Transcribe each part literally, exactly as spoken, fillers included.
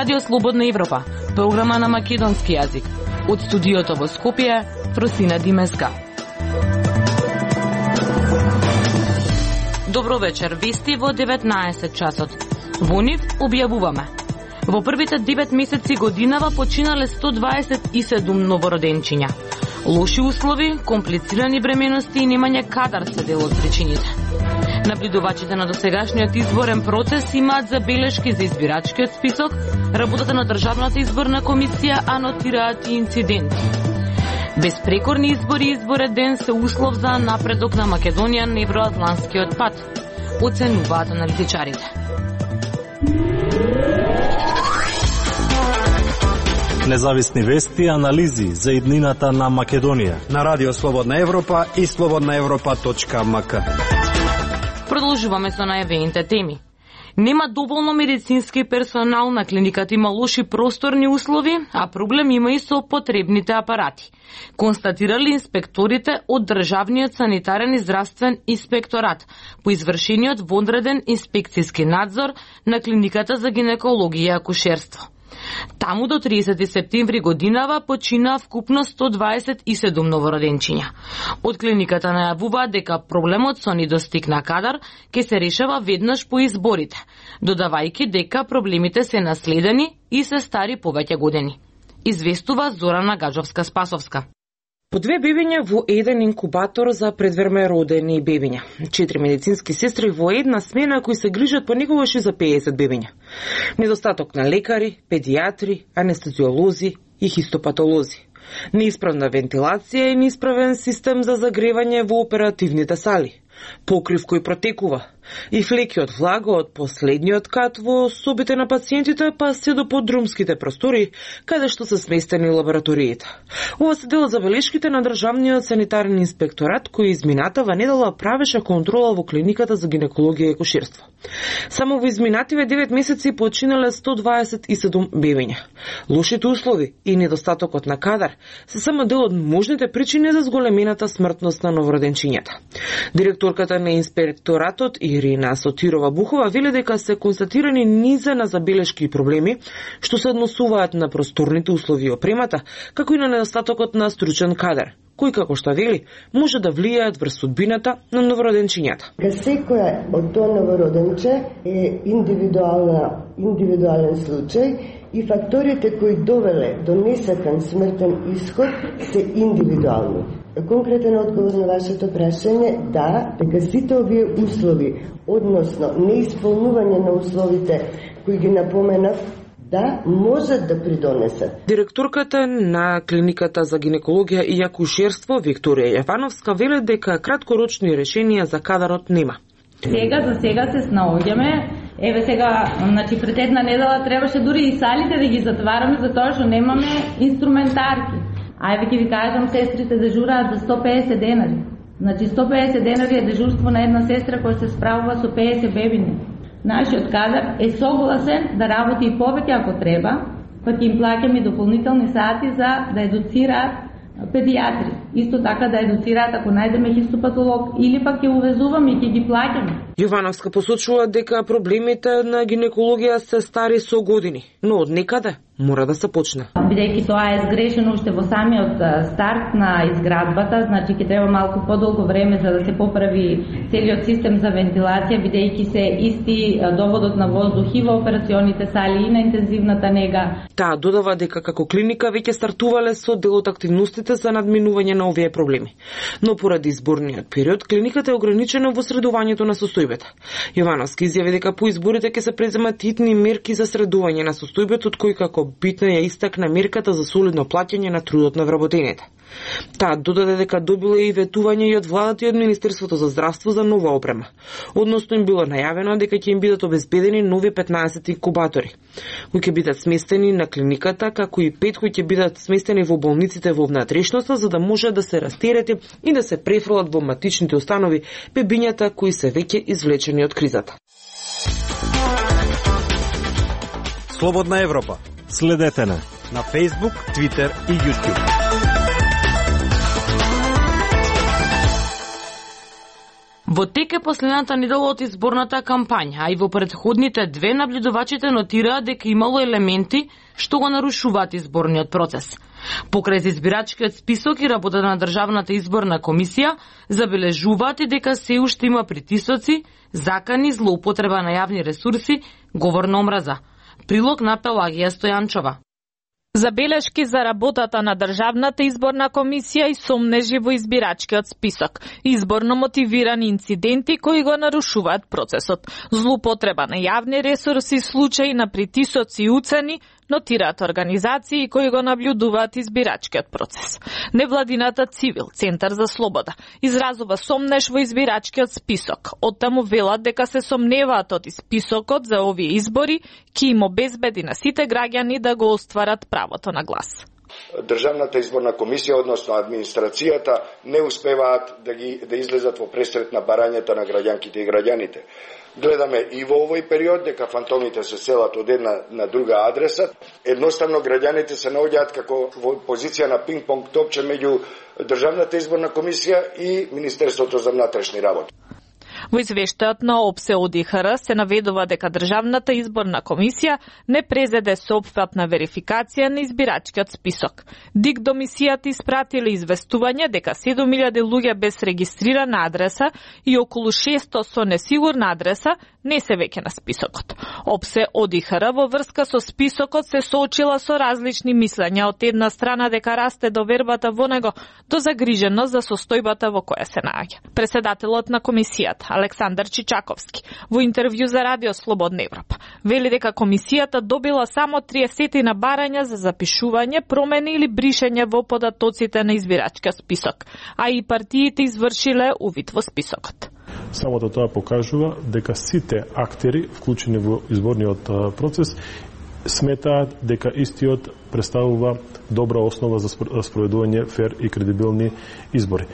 Радио Слободна Европа, програма на македонски јазик. Од студиото во Скопје, Фросина Димеска. Добро вечер, вести во деветнаесет часот. Во нив објавуваме. Во првите девет месеци годинава починале сто дваесет и седум новороденчиња. Лоши услови, комплицирани бременности и немање кадар се дел од причините. Наблюдувачите на досегашниот изборен процес имаат забелешки за избирачкиот список, работата на Државната изборна комисија анотираат и инциденти. Безпрекорни избори и изборен ден се услов за напредок на Македонија на евроатланскиот пат, оценуваат аналитичарите. Независни вести и анализи за иднината на Македонија на Радио Слободна Европа и слободна европа точка ем ка. Продолжуваме со најавените теми. Нема доволно медицински персонал, на клиниката има лоши просторни услови, а проблем има и со потребните апарати. Констатирали инспекторите од Државниот санитарен и здравствен инспекторат по извршениот вонреден инспекцијски надзор на клиниката за гинекологија и акушерство. Таму до тридесети септември годинава почина вкупно сто дваесет и седум новороденчиња. Од клиниката најавуваат дека проблемот со недостиг на кадар ќе се решава веднаш по изборите, додавајќи дека проблемите се наследени и се стари повеќе години. Известува Зорана Гаджовска-Спасовска. По две бебиња во еден инкубатор за предверме родени бебиња. Четири медицински сестри во една смена кои се грижат понекогаш и за педесет бебиња. Недостаток на лекари, педиатри, анестезиолози и хистопатолози. Неисправна вентилација и неисправен систем за загревање во оперативните сали. Покрив кој протекува. И флеки од влага од последниот кат во собите на пациентите, па се до подрумските простори, каде што се сместени лабораториите. Ова се дел од забелешките на Државниот санитарен инспекторат, кој изминатава недела правеше контрола во клиниката за гинекологија и акушерство. Само во изминативе девет месеци починале сто дваесет и седум бебиња. Лошите услови и недостатокот на кадар се само дел од можните причини за зголемената смртност на новороденчињата. Директорката на инспекторатот Ирина Сотирова-Бухова вели дека се констатирани низа на забелешки и проблеми што се односуваат на просторните услови и опремата, како и на недостатокот на стручен кадар, кои, како што вели, може да влијаат врз судбината на новороденчињата. Секоја од тоа новороденче е индивидуална, индивидуален случај и факторите кои довеле до несакан смртен исход се индивидуални. Конкретен одговор на вашето прашање, да, дека сите овие услови, односно неисполнување на условите кои ги напоменав, да, можат да придонесат. Директорката на клиниката за гинекологија и акушерство Викторија Јавановска вели дека краткорочни решенија за кадарот нема. Сега за сега се снаоѓаме. Еве сега, значи пред една недела требаше дури и салите да ги затвараме затоа што немаме инструментарки. А еве ќе ви кажам, сестрите дежураат за сто педесет денари. Значи сто педесет денари е дежурство на една сестра која се справува со педесет бебини. Нашиот кадар е согласен да работи и повеќе ако треба, па ќе им плаќаме дополнителни сати за да едуцираат педиатри. Исто така да едуцираат ако најдеме хистопатолог или пак ќе увезуваме и ќе ги плаќаме. Јовановска посочува дека проблемите на гинекологија се стари со години, но од некаде мора да се почне. Бидејќи тоа е сгрешено уште во самиот старт на изградбата, значи ќе треба малку подолго време за да се поправи целиот систем за вентилација, бидејќи се исти доводот на воздух и во операционите сали и на интензивната нега. Таа додава дека како клиника веќе стартувале со дел од активностите за надминување на овие проблеми. Но поради изборниот период, клиниката е ограничена во средувањето на состојбата. Јовановски изјави дека по изборите ќе се преземат хитни мерки за средување на состојбата, од кои како битна ја истакна мерката за солидно плаќање на трудот на вработените. Таа додаде дека добила и ветување и од владата и од Министерството за здравство за нова опрема. Односно им било најавено дека ќе им бидат обезбедени нови петнаесет инкубатори, кои ќе бидат сместени на клиниката, како и пет кои ќе бидат сместени во болниците во внатрешноста, за да може да се растерети и да се префрлат во матичните установи бебињата кои се веќе извлечени од кризата. Слободна Европа. Следете на на Facebook, Twitter и YouTube. Во тек е последната недела од изборната кампања, а и во претходните две наблюдувачите нотираат дека имало елементи што го нарушуваат изборниот процес. Покрај за избирачкиот список и работата на Државната изборна комисија, забележуваат и дека се уште има притисоци, закани, злоупотреба на јавни ресурси, говор на омраза. Прилог на Пелагија Стојанчова. Забелешки за работата на Државната изборна комисија и сомнежи во избирачкиот список, изборно мотивирани инциденти кои го нарушуваат процесот, злоупотреба на јавни ресурси, случаи на притисоци и уцени, нотираат организации кои го наблюдуваат избирачкиот процес. Невладината Цивил, Центар за слобода, изразува сомнеж во избирачкиот список. Оттаму велат дека се сомневаат од списокот за овие избори ќе им обезбеди на сите граѓани да го остварат правото на глас. Државната изборна комисија, односно администрацијата, не успеваат да ги да излезат во пресрет на барањата на граѓанките и граѓаните. Гледаме и во овој период дека фантомите се селат од една на друга адреса. Едноставно граѓаните се наоѓаат како во позиција на пинг-понг топче меѓу Државната изборна комисија и Министерството за внатрешни работи. Во извештајот на ОПСЕ ОДИХР се наведува дека Државната изборна комисија не презеде соопфатна верификација на избирачкиот список. ДИК до мисијата испратиле известување дека седум илјади луѓе без регистрирана адреса и околу шесто со несигурна адреса не се веќе на списокот. ОПСЕ ОДИХР во врска со списокот се соочила со различни мислења, од една страна дека расте довербата во него, до загриженост за состојбата во која се наоѓа. Преседателот на комисијата Александар Чичаковски во интервју за Радио Слободна Европа вели дека комисијата добила само триесет на барања за запишување, промени или бришење во податоците на избирачкиот список, а и партиите извршиле увид во списокот. Самото тоа покажува дека сите актери вклучени во изборниот процес сметаат дека истиот представува добра основа за спроведување фер и кредибилни избори.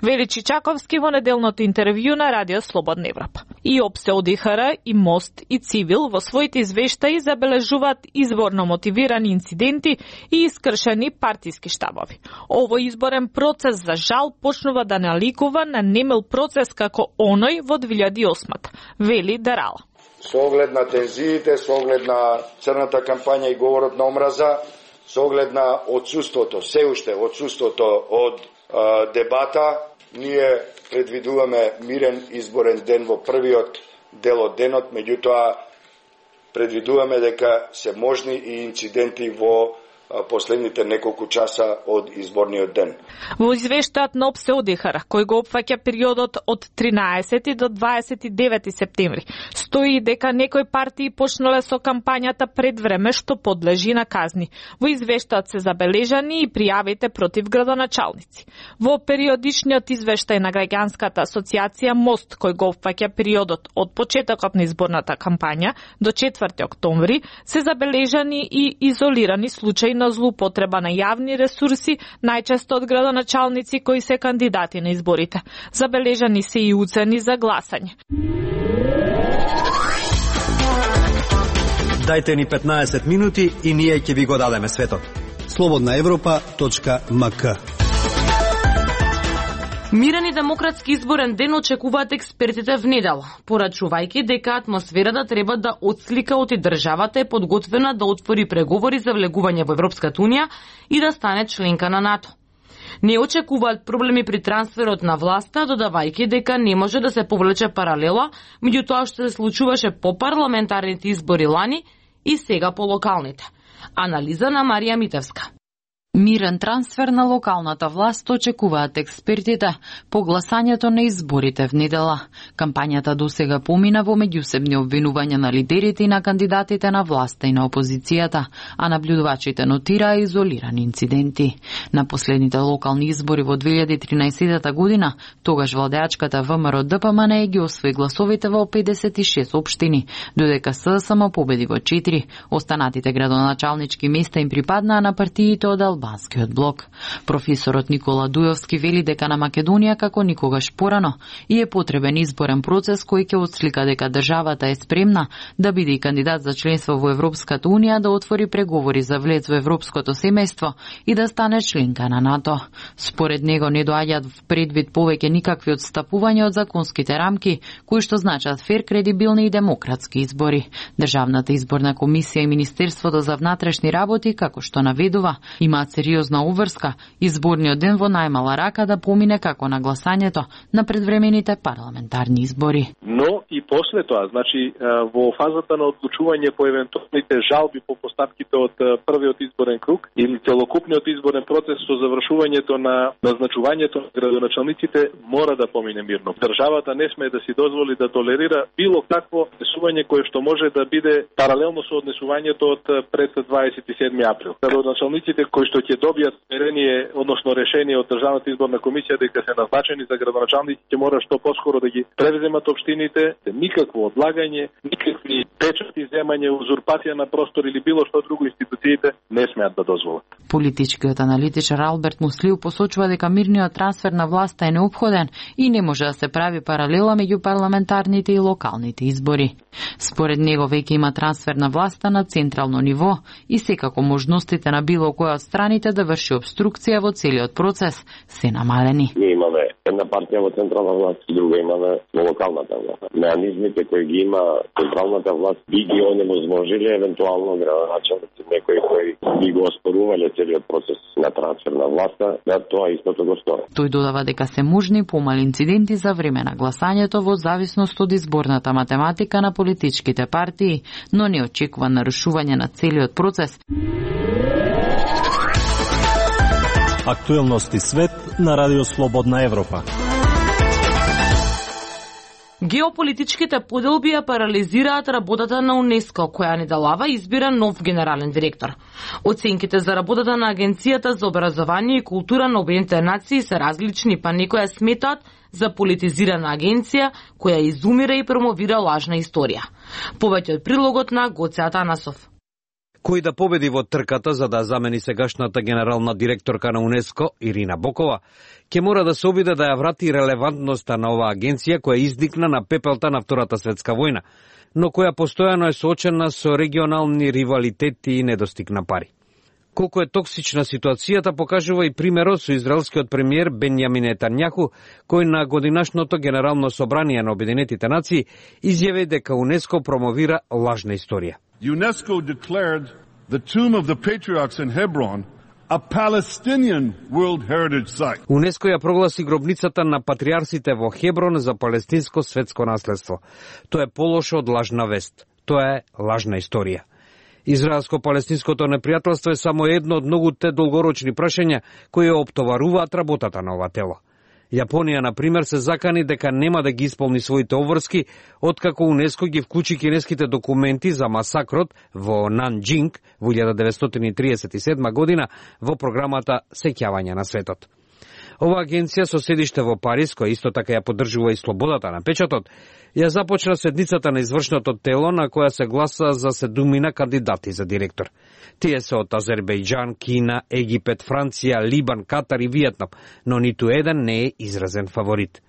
Вели Чичаковски во неделното интервју на Радио Слободна Европа. И ОПСЕ ОДИХР, и МОСТ, и Цивил во своите извештаи забележуваат изборно мотивирани инциденти и искршени партиски штабови. Овој изборен процес за жал почнува да наликува на немил процес како оној во две илјади и осма, вели Дарала. Со оглед на тензиите, со оглед на црната кампања и говорот на омраза, со оглед на отсуството, се уште отсуството од а, дебата, ние предвидуваме мирен изборен ден во првиот дел од денот, меѓутоа предвидуваме дека се можни и инциденти во последните неколку часа од изборниот ден. Во извештајот на ОПСЕ ОДИХР, кој го опфаќа периодот од тринаесети до дваесет и девети септември, стои дека некои партии почнале со кампањата пред време што подлежи на казни. Во извештајот се забележани и пријавите против градоначалници. Во периодичниот извештај на граѓанската асоциација МОСТ, кој го опфаќа периодот од почетокот на изборната кампања до четврти октомври, се забележани и изолирани случаи на злоупотреба на јавни ресурси, најчесто од градоначалници кои се кандидати на изборите. Забележани се и уцени за гласање. Дајте ни петнаесет минути и ние ќе ви го дадеме светот. слободна европа точка ем ка. Мирен и демократски изборен ден очекуваат експертите в недела, порачувајќи дека атмосферата треба да отслика оти државата е подготвена да отвори преговори за влегување во Европската унија и да стане членка на НАТО. Не очекуваат проблеми при трансферот на власта, додавајќи дека не може да се повлече паралела меѓу тоа што се случуваше по парламентарните избори лани и сега по локалните. Анализа на Марија Митевска. Мирен трансфер на локалната власт очекуваат експертите по гласањето на изборите в недела. Кампањата досега помина во меѓусебни обвинувања на лидерите и на кандидатите на власта и на опозицијата, а наблюдувачите нотираа изолирани инциденти. На последните локални избори во две илјади и тринаесета година, тогаш владеачката ВМРО Д П М Н ги освои гласовите во педесет и шест општини, додека С С М победи во четири. Останатите градоначалнички места им припаднаа на партиите од Албанија албанскиот блок. Професорот Никола Дујовски вели дека на Македонија како никогаш порано и е потребен изборен процес кој ќе отслика дека државата е спремна да биде и кандидат за членство во Европската унија, да отвори преговори за влез во европското семејство и да стане членка на НАТО. Според него не доаѓаат в предвид повеќе никакви отстапувања од законските рамки, кои што значат фер, кредибилни и демократски избори. Државната изборна комисија и Министерството за внатрешни работи, како што наведува, имаат сериозна обврска изборниот ден во најмала рака да помине како на гласањето на предвремените парламентарни избори. Но и после тоа, значи во фазата на одлучување по евентуалните жалби по постапките од првиот изборен круг или целокупниот изборен процес со завршувањето на назначувањето на градоначалниците мора да помине мирно. Државата не смее да си дозволи да толерира било какво однесување кое што може да биде паралелно со однесувањето од пред дваесет и седми април. Градоначалниците кои што ќе добијат смерение, односно решение од Државната изборна комисија дека се назначени за градоначалници, ќе мора што поскоро да ги превземат општините, никакво одлагање, никакви печати, земање, узурпација на простор или било што друго институциите не смеат да дозволат. Политичкиот аналитичар Алберт Муслиу посочува дека мирниот трансфер на власта е неопходен и не може да се прави паралела меѓу парламентарните и локалните избори. Според него веќе има трансфер на власта на централно ниво и секако можностите на било која од страните да врши обструкција во целиот процес се намалени. Ние имаме една партија во централна власт и друга имаме во локалната власт. Меанизмите кои ги има централната власт би ги онемоможили евентуално градоначалници, некои кои би го оспорувале целиот процес на трансфер на власта, да тоа истото го стори. Тој додава дека се можни помали инциденти за време на гласањето во зависност од изборната математика на политичките партии, но не очекува нарушување на целиот процес. Актуелности свет на Радио Слободна Европа. Геополитичките поделби ја парализираат работата на УНЕСКО, која недалава избира нов генерален директор. Оценките за работата на Агенцијата за образование и култура на Обединетите нации се различни, па некоја сметаат за политизирана агенција која изумира и промовира лажна историја. Повеќе од прилогот на Гоце Атанасов. Кој да победи во трката за да замени сегашната генерална директорка на УНЕСКО, Ирина Бокова, ќе мора да се обиде да ја врати релевантноста на оваа агенција која изникна на пепелта на Втората светска војна, но која постојано е соочена со регионални ривалитети и недостиг на пари. Колку е токсична ситуацијата покажува и примерот со израелскиот премиер Бенјамин Нетањаху, кој на годинашното генерално собрание на Обединетите нации изјави дека УНЕСКО промовира лажна историја. UNESCO declared the tomb of the patriarchs in Hebron a Palestinian World Heritage Site. УНЕСКО ја прогласи гробницата на патриарсите во Хеброн за палестинско светско наследство. Тоа е полошо од лажна вест. Тоа е лажна историја. Израелско-палестинското непријателство е само едно од многуте долгорочни прашања кои оптоваруваат работата на ова тело. Јапонија, например, се закани дека нема да ги исполни своите обврски, откако УНЕСКО ги вклучи кинеските документи за масакрот во Нанџинг во илјада деветстотини триесет и седма година во програмата Сеќавање на светот. Ова агенција со седиште во Париз, која исто така ја поддржува и слободата на печатот, ја започна седницата на извршното тело на која се гласа за седумина кандидати за директор. Тие се од Азербејџан, Кина, Египет, Франција, Либан, Катар и Виетнам, но ниту еден не е изразен фаворит.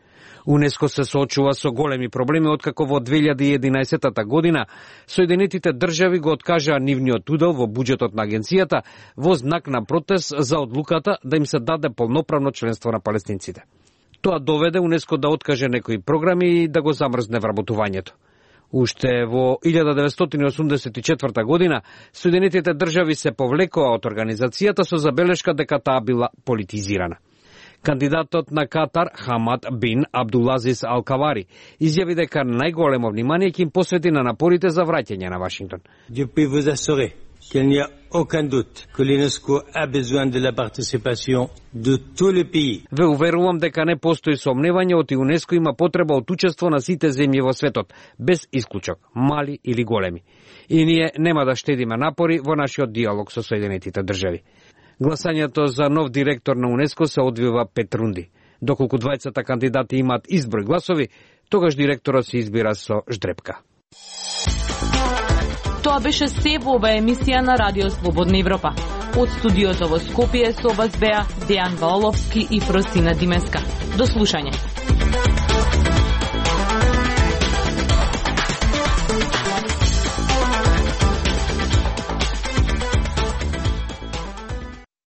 УНЕСКО се соочува со големи проблеми откако во две илјади и единаесетта година Соединетите држави го откажаа нивниот удел во буџетот на агенцијата во знак на протест за одлуката да им се даде полноправно членство на палестинците. Тоа доведе УНЕСКО да откаже некои програми и да го замрзне вработувањето. Уште во илјада деветстотини осумдесет и четврта година Соединетите држави се повлекоа од организацијата со забелешка дека таа била политизирана. Кандидатот на Катар, Хамад бин Абдулазис Алкавари, изјави дека најголемо внимание ќе им посвети на напорите за враќање на Вашингтон. Je peux vous assurer qu'il n'y a aucun doute que l'UNESCO a besoin de la participation de tous les pays. Ве уверувам дека не постои сомневање оти УНЕСКО има потреба од учество на сите земји во светот, без исклучок, мали или големи. И ние нема да штедиме напори во нашиот диалог со Соединетите држави. Гласањето за нов директор на УНЕСКО се одвива пет рунди. Доколку двајцата кандидати имаат изброј гласови, тогаш директорот се избира со ждрепка. Тоа беше се во оваа емисија на Радио Слободна Европа. Од студиото во Скопје со вас беа Дејан Ваоловски и Фросина Димеска. До слушање.